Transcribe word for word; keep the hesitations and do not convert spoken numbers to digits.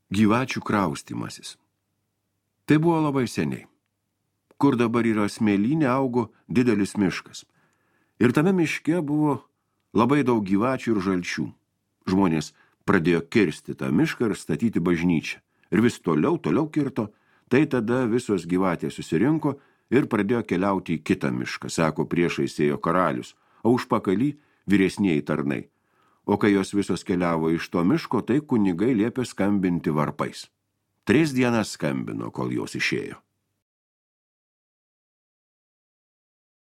Gyvačių kraustymasis. Tai buvo labai seniai. Kur dabar yra smėlynė, augo didelis miškas. Ir tame miške buvo labai daug gyvačių ir žalčių. Žmonės pradėjo kirsti tą mišką ir statyti bažnyčią. Ir vis toliau, toliau kirto. Tai tada visos gyvatės susirinko ir pradėjo keliauti į kitą mišką, sako, priešais ėjo karalius, o užpakalį vyresnieji tarnai. O kai jos visos keliavo iš to miško, tai kunigai liepė skambinti varpais. Tris dienas skambino, kol jos išėjo.